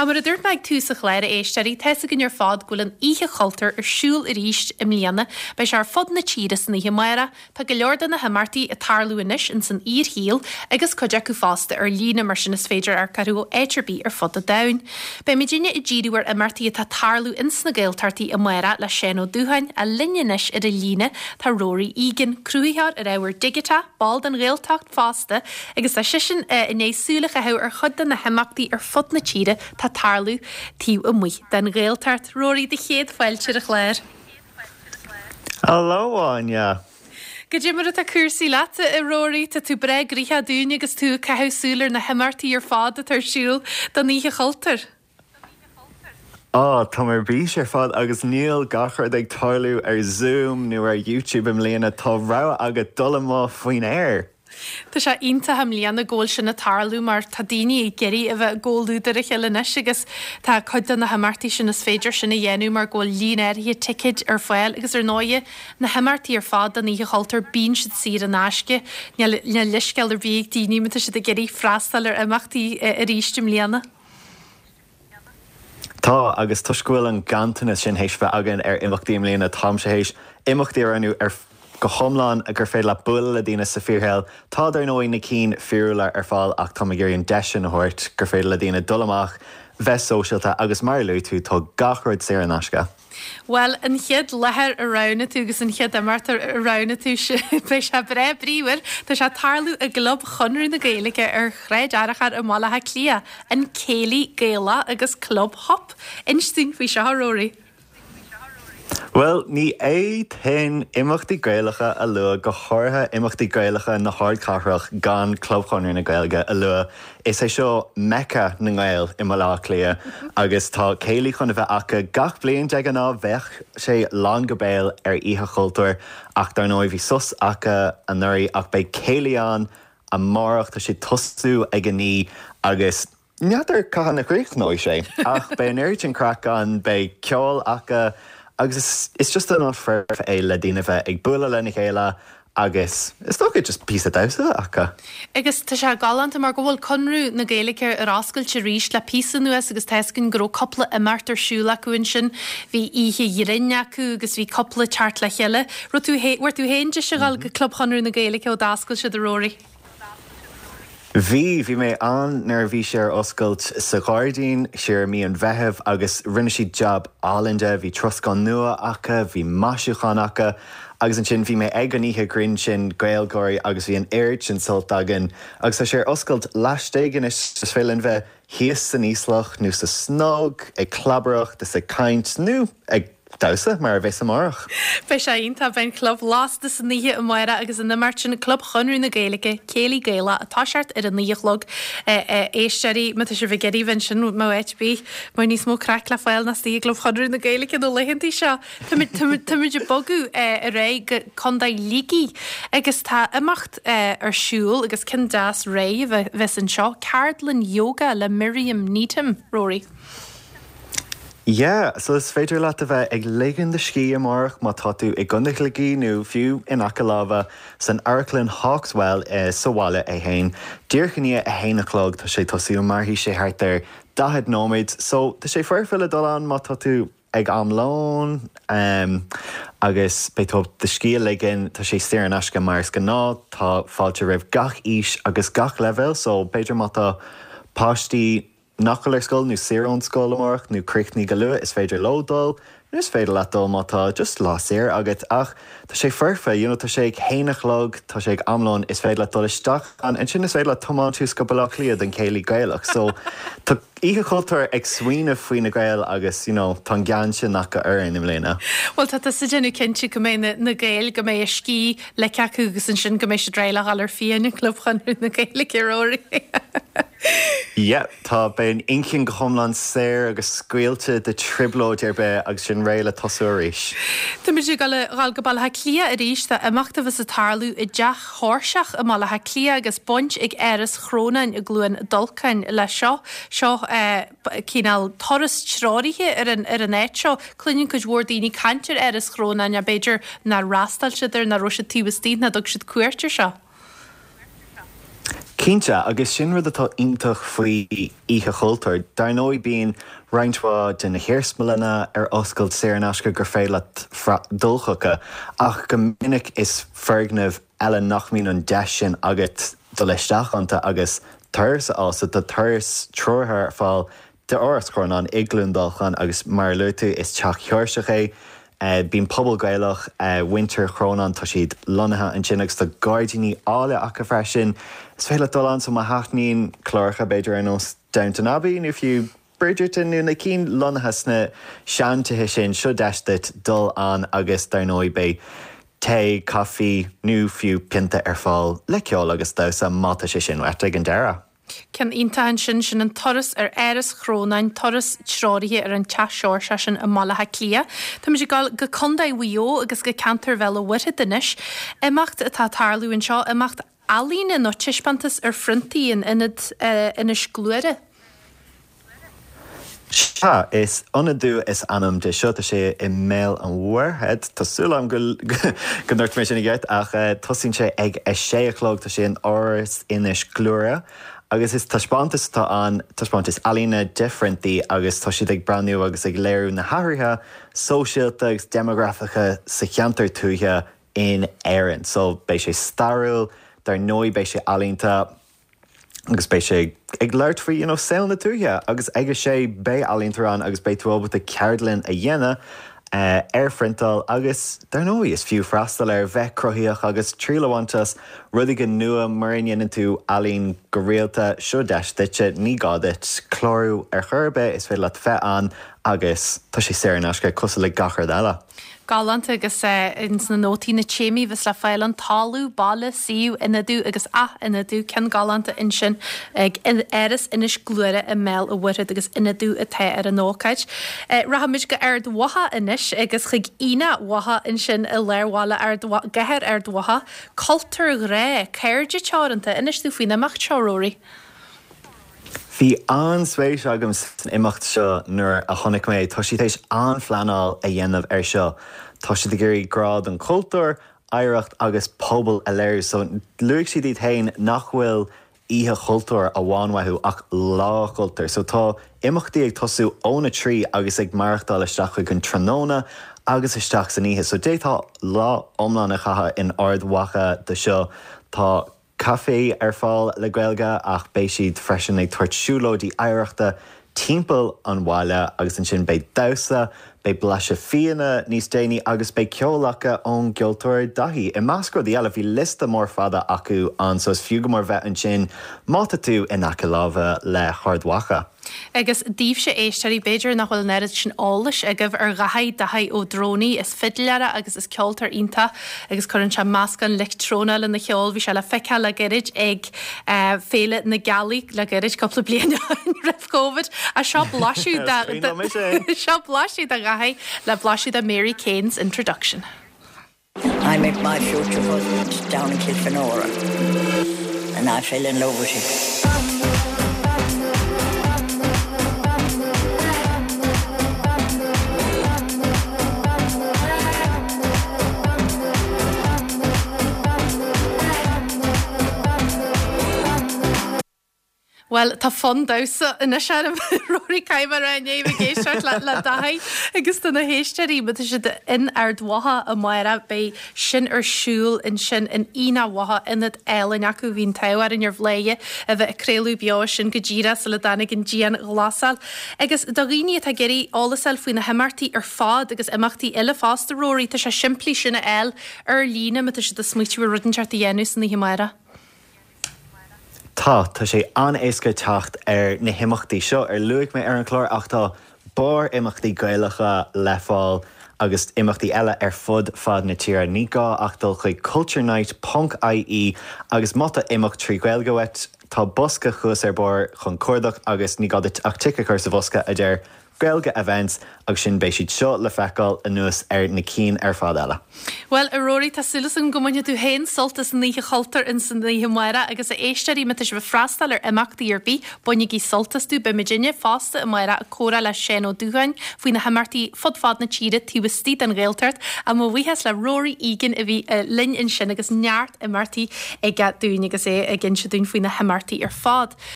Ach mar a dúirt mé ag tús an chláir, a éisteoirí, tá's againn ar fad go bhfuil an Oíche Chultúir ar siúl arís i mbliana. Beidh sé ar fud na tíre san oíche amárach. Tá go leor de na himeachtaí ag tarlú anois ins an fhíorshaol agus cuid acu fosta ar líne, mar sin is féidir amharc orthu ó áit ar bith ar fud an domhain. Beidh muidinne ag díriú ar imeachtaí atá ag tarlú ins na Gaeltachtaí amárach le Seán Ó Dúcháin, ach linn anois ar an líne tá Rory Egan, cruthaitheoir ar ábhar digiteach, ball den Ghaeltacht fosta agus tá seisean i ndiaidh súil a chaitheamh ar chuid de na himeachtaí ar fud na tíre atá ag tarlú taobh amuigh den Ghaeltacht. Rory, do chéad fáilte ar an chlár. Hello Áine! Goidé mar atá cúrsaí leat, a Rory? Tá tú breá gnoitheach dúinn agus tú ag caitheamh súil ar na himeachtaí ar fad atá ar siúl don Oíche Chultúir. Á, táim ar bís ar fad agus níl gach rud ag tarlú ar Zoom nó ar YouTube i mbliana, tá rogha agat dul amuigh faoin aer! Tá sé iontach i mbliana go bhfuil sin ag tarlú mar tá daoine ag iarraidh a bheith i gcomhluadar a chéile anois agus tá cuid de na himeachtaí sin is féidir sin a dhéanamh mar go bhfuil líon áirithe ticéid ar fáil agus ar ndóighe na himeachtaí ar fad don Oíche Chultúir bíonn siad saor in aisce. Níl leithscéal ar bith ag daoine má tá siad ag iarraidh freastal ar imeachtaí arís i mbliana. Tá, agus toisc go bhfuil an ganntanas sin théis bheith againn ar imeachtaí i mbliana, táimse théis imeachtaí a roghnú ar go hiomlán gur féidir leat bualadh le daoine sa fíorshaol. Tá, dar ndóigh, na cinn fíorúla ar fáil ach táim ag iarraidh an deis sin a thabhairt gur féidir le daoine dul amach, bheith sóisialta agus mar a luaigh tú, tá gach rud saor in aisce. Bhuel, an chéad láthair a roghnaigh tú agus an chéad imeacht a roghnaigh tú, beidh sé breá bríomhar. Tá sé ag tarlú i gClub Chonradh na Gaeilge ar Shráid Fhearchair i mBaile Átha Cliath, an Céilí Gaelach agus Club Hop. Inis dúinn faoi seo, a Rory. Bhuel, ní fhéadfainn imeachtaí Gaelacha a lua, go háirithe imeachtaí Gaelacha na hardchathrach, gan Club Chonradh na Gaeilge a lua. Is é seo Mecca na nGael i mBaile Átha Cliath agus tá céilí chun a bheith acu gach bliain. De ghnáth bheadh sé lán go béal ar Oíche Chultúir ach dar ndóigh bhí sos acu anuraidh ach beidh céilí ann amárach. Tá sé ag tosú ag a 9 agus n'fheadar cathain a chríochnóidh sé ach beidh an oiread sin craic ann, beidh ceol acu agus is just an áit foirfe é le daoine bheith ag bualadh lena chéile Agus is dócha just píosa damhsa a bheith acu. Agus tá sé galánta mar go bhfuil Conradh na Gaeilge ar oscailt arís le píosa anuas agus tá fhios againn go raibh cúpla imeacht ar siúl acu ansin. Bhí oíche ghrinn acu agus bhí cúpla teacht le chéile. Raibh tú, bhfuair tú féin deis a dhul go Club Chonradh na Gaeilge ó d'oscail siad a Rory? Bhí, bhí mé ann nuair a bhí sé ar oscailt sa ghairdín siar i mí an Mheithimh agus rinne siad jab álainn de, bhí troscán nua acu, bhí maisiúchán acu agus ansin bhí mé ag an oíche grinn sin, GaelGÁIRÍ agus bhí an oiread sin sult againn agus tá sé ar oscailt laistigh anois, is féidir linn bheith thíos san íoslach nó sa snog ag clabaireacht is ag caint nó ag. damhsa, mar a bheas amárach. Beidh sé iontach. Beidh an club lasta san oíche amárach agus an imeacht sin, Club Chonradh na Gaeilge, Céilí Gaelach, ag toiseacht ar a 9 a chlog. A éisteoirí, má tá sibh ag iarraidh bheith ansin, má áit ar bith, mar níos mó craic le fáil ná istigh i gClub Chonradh na Gaeilge na laethanta seo. Táimid ag bogadh ar aghaidh go Contae Shligigh agus tá imeacht ar siúl agus ceann deas réidh a bheas anseo, ceardlann yoga le Miriam Needham, Rory. Yeah, so is féidir leat a bheith ag ligean do scíth amárach má tá tú i gContae Shligigh nó fiú in aice láimhe san Amharclann Hawk's Well sa bhaile é fhéin. Díreach i ndiaidh a haon a chlog tá sé ag tosú, mairfidh sé thart ar 40 nóiméad so tá sé foirfe le dul ann má tá tú ag am lóin agus beidh tú do scíth a ligean, tá sé saor in aisce mar is gnáth, tá fáilte roimh gach aois agus gach leibhéal so b'fhéidir má tá páistí nach bhfuil ar scoil nó saor ón scoil amárach nó críochnaithe go luath, is féidir leo dul, nó is féidir leat dul má tá just lá saor agat ach tá sé foirfe, you know, tá sé ag haon a chlog, tá sé ag am lóin, is féidir leat dul isteach ann, ansin is féidir leat tiomáint suas go Baile Átha Cliath don Chéilí Gaelach. So tá Oíche Chultúir ag smaoineamh faoi na Gaeil agus, you know, tá an gean sin acu orainn i mbliana. Bhuel tá tusa ag déanamh cinnte go mbeidh na, na Gaeil, go mbeidh a scíth ligthe acu agus ansin go mbeidh siad réidh le dhul ar fiáin i gClub Chonradh na Gaeilge, Rory. Yeah, tá, beidh an inchinn go hiomlán saor agus scaoilte de trioblóid ar bith agus sinn réidh le tosú arís. Táimid ag dul a dhul go Baile Átha Cliath arís, tá imeacht a bheas ag tarlú i dTeach Sháirseach i mBaile Átha Cliath agus baint ag Áras Chrónáin i gCluain Dolcáin leis seo. Seo cineál turas treoraithe ar an ar an áit seo. Cluineann cuid mhór daoine caint ar Áras Chrónáin ach b'fhéidir nár fhreastail siad air, nach raibh siad taobh istigh, nach dtug siad cuairt air seo. Cinnte, agus sin rud atá iontach faoi Oíche Chultúir. Dar ndóigh bíonn roinnt mhaith de na hiarsmalanna ar oscailt saor in aisce gur féidir leat dul chucu, ach go minic is foirgnimh eile nach mbíonn an deis sin agat dul isteach iontu agus turas a fháil. So tá turas treoraithe ar fáil d'Áras Chrónáin i gCluain Dolcáin agus mar a luaigh tú is teach Seoirseach é. Bíonn pobal Gaelach, muintir Chrónáin, tá siad lonnaithe ansin agus tá gairdíní áille acu freisin. Is féidir leat dul ann so má thaitníonn cláracha b'fhéidir ar nós Downton Abbey nó fiú Bridgerton nó na cinn lonnaithe sna seantithe sin, seo deis duit dul ann agus dar ndóigh beidh tae, caife nó fiú pionta ar fáil le ceol agus damhsa má tá sé sin uait ag an deireadh. Ceann iontach ansin, sin an turas ar Áras Chrónáin, turas treoraithe ar an Teach Seoirseach sin i mBaile Átha Cliath. Táimid ag dul go Contae Mhaigh Eo agus go ceantar Bhéal an Mhuirthead anois. Imeacht atá ag tarlú anseo, imeacht ealaíne nó taispeántas ar phriontaí in Ionad Inis Gluaire. Sea, is Ionadú is ainm de seo. Tá sé i mBéal an Mhuirthead. Tá súil agam go go ndúirt mé sin i gceart, ach tosaíonn sé ag a sé a chlog. Tá sé in Áras Inis Gluaire agus is taispeántas atá ann, taispeántas ealaíne de phriontaí agus tá siad ag breathnú agus ag léiriú na hathruithe sóisialta agus déimeagrafacha sa cheantar tuaithe in Éirinn. So beidh sé stairiúil, dar ndóigh beidh sé ealaíonta. agus beidh sé ag labhairt faoi you know saol na tuaithe agus ag a sé beidh ealaíontóir ann agus beidh tú ábalta ceardlann a dhéanamh ar phriontáil agus dar ndóigh is fiú freastal ar bheith cruthaíoch agus triail a bhaint as rud éigin nua mura ndéanann tú ealaín go rialta seo deis duitse ní gá duit clárú ar chor ar bith is féidir leat bheith ann agus tá sé saor in aisce cosúil le gach rud eile. Galánta agus ins na nótaí na téamaí a bheas le fáil ann, talamh, baile, suíomh, ionadú agus ath-ionadú, ceann galánta ansin ag Áras Inis Gluaire i mBéal a' Mhuirthead agus ionadú atá ar an ócáid. Rachaimid go Ard Mhacha anois agus chuig Aonach Mhacha ansin i lár bhaile Ard gCathair Ard Mhacha, Cultúr Ghrá, Cairde Teoranta. Inis dúinn faoin imeacht seo, Rory. Bhí an-spéis agam san imeacht seo nuair a chonaic mé é. Tá siad théis an-phleanáil a dhéanamh air seo. Tá siad ag iarraidh grá don chultúr, oidhreacht agus pobal a léiriú. So luaigh siad iad féin nach bhfuil Oíche Chultúir amháin uathu ach Lá Chultúir. So tá imeachtaí ag tosú óna 3 agus ag maireachtáil isteach chuig an tráthnóna agus isteach san oíche. So d'fhéadfá lá iomlán a chaitheamh in Ard Mhacha do seo. Tá. Caife ar fáil le Gaeilge ach beidh siad freisin ag tabhairt siúlóidí oidhreachta timpeall an bhaile agus ansin beidh damhsa, beidh blaiseadh fíona níos déanaí agus beidh ceol acu ón gceoltóir Daithí. I measc rudaí eile, bhí liosta mór fada acu ann so is fiú go mór bheith ansin má tá tú in aice láimhe le hArd Mhacha. Agus daoibhse, a éisteoirí, b'fhéidir nach bhfuil an oiread sin eolais agaibh ar Dhaithí, Daithí Ó Drónaí. Is fidléir é agus is ceoltóir iontach agus cuireann sé meascán leictreonach lena cheol. Bhí sé le feiceáil le gairid ag Féile na Gealaí le gairid, cúpla bliain ó shin roimh Covid. Ach seo blaiseadh de, seo blaiseadh de Dhaithí le blaiseadh de Mary Kane's Introduction. I met my future husband down in Kilfenora and I fell in love with him. Bhuel, tá fonn damhsa anois orm, Rory caithfidh mé a rá i ndiaidh a bheith ag éisteacht le le Daithí agus do na héisteoirí, má tá siad in Ard Mhacha amárach, beidh sin ar siúl ansin in Aonach Mhacha, ionad álainn acu, bhí an t-ádh orainn ar Bhladhaire a bheith ag craoladh beo as sin go díreach sula dtáinig an dianghlasáil. Agus do dhaoine atá ag iarraidh eolas a fháil faoi na himeachtaí ar fad agus imeachtaí eile fosta, Rory, tá sé simplí sin a fháil ar líne má tá siad ag smaoitiú ar rud inteacht a dhéanamh san oíche amárach. Tá, tá sé an-éasca teacht ar na himeachtaí seo ar luaigh mé ar an chlár ach tá barr imeachtaí Gaelacha le fáil agus imeachtaí eile ar fud fad na tíre. Ní gá ach dul chuig culturenight ponc ie agus má tá imeacht trí Ghaeilge uait, tá bosca thuas ar barr chun cuardach agus ní gá duit ach tic a chur sa bhosca a deir. Gaeilge Events agus sin beidh siad seo le feiceáil anuas ar na cinn ar fad eile. Bhuel, a Rory, tá súil agam go mbainfidh tú féin sult as an Oíche Chultúir ins an oíche amárach agus a éisteoirí, má tá sibh ag freastal ar imeachtaí ar bith, bainigí sult astu. Beidh muidinne fosta amárach ag comhrá le Seán Ó Dúcháin faoi na himeachtaí fud fad na tíre taobh istigh den Ghaeltacht. Ach mo bhuíochas le Rory Egan a bhí linn ansin agus neart imeachtaí aige dúinn agus é ag inse dúinn faoi na himeachtaí ar fad.